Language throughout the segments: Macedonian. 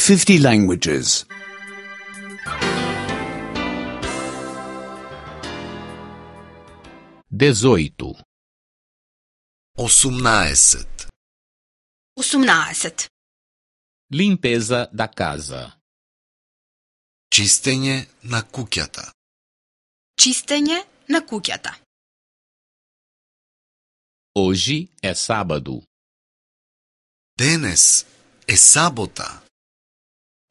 50 languages. 18. 18. 18. Limpeza da casa. Чистење на куќата. Чистење на куќата. Hoje é sábado. Денес е сабота.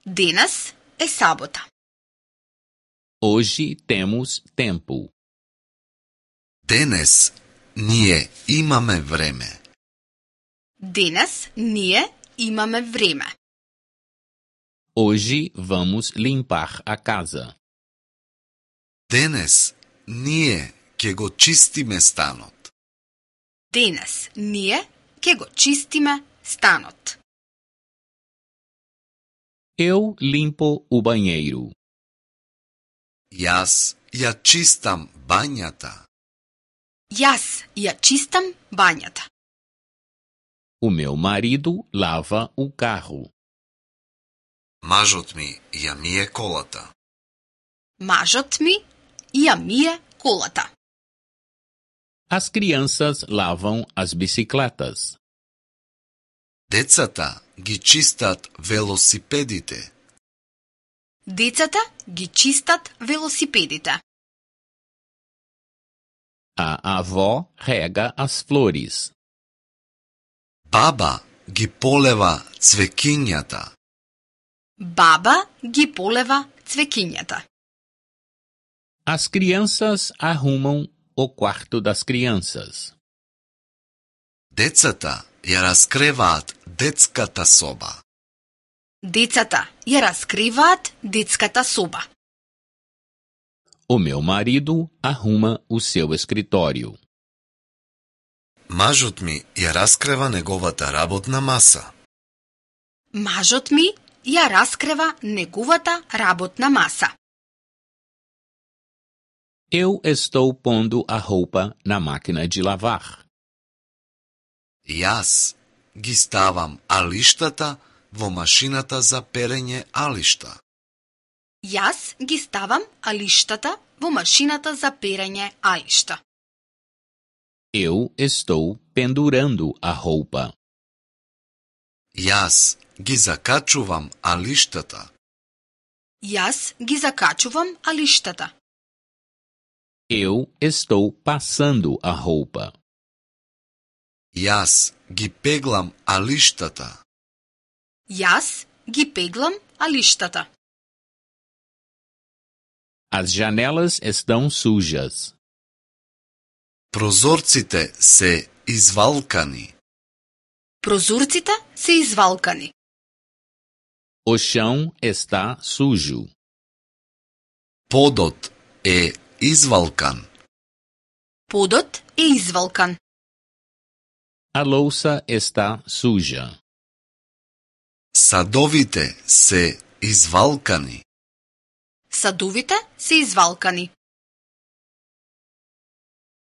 Денес е сабота. Hoje temos tempo. Денес ние имаме време. Денес ние имаме време. Hoje vamos limpar a casa. Денес ние ќе го чистиме станот. Денес ние ќе го чистиме станот. Eu limpo o banheiro. Јас ја чистам бањата. Јас ја чистам бањата. O meu marido lava o carro. Мажот ми ја мие колата. Мажот ми ја мие колата. As crianças lavam as bicicletas. Децата ги чистат велосипедите. Децата ги чистат велосипедите. A avó rega as flores. Баба ги полева цвекињата. Баба ги полева цвекињата. As crianças arrumam o quarto das crianças. Децата ја раскреваат детската соба. Децата ја раскриваат детската соба. O meu marido arruma o seu escritório. Мажот ми ја раскрева неговата работна маса. Мажот ми ја раскрива неговата работна маса. Eu estou pondo a roupa na máquina de lavar. Јас ги ставам алиштата во машината за перење алишта. Јас ги ставам алиштата во машината за перење алишта. Eu estou pendurando a roupa. Јас ги закачувам алиштата. Јас ги закачувам алиштата. Eu estou passando a roupa. Јас ги пеглам алиштата. Јас ги пеглам алиштата. As janelas estão sujas. Прозорците се извалкани. Прозорците се извалкани. O chão está sujo. Подот е извалкан. Подот е извалкан. A louça está suja. Садовите се извалкани. Садовите се извалкани.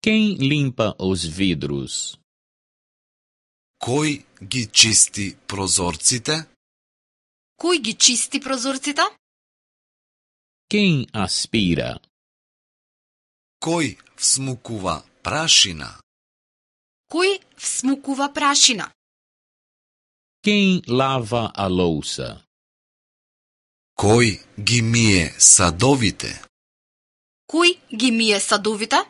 Quem limpa os vidros? Кој ги чисти прозорците? Кој ги чисти прозорците? Quem aspira? Кој всмукува прашина? Кој всмукува прашина? Quem lava a louça? Кој ги мие садовите? Кој ги мие садовите?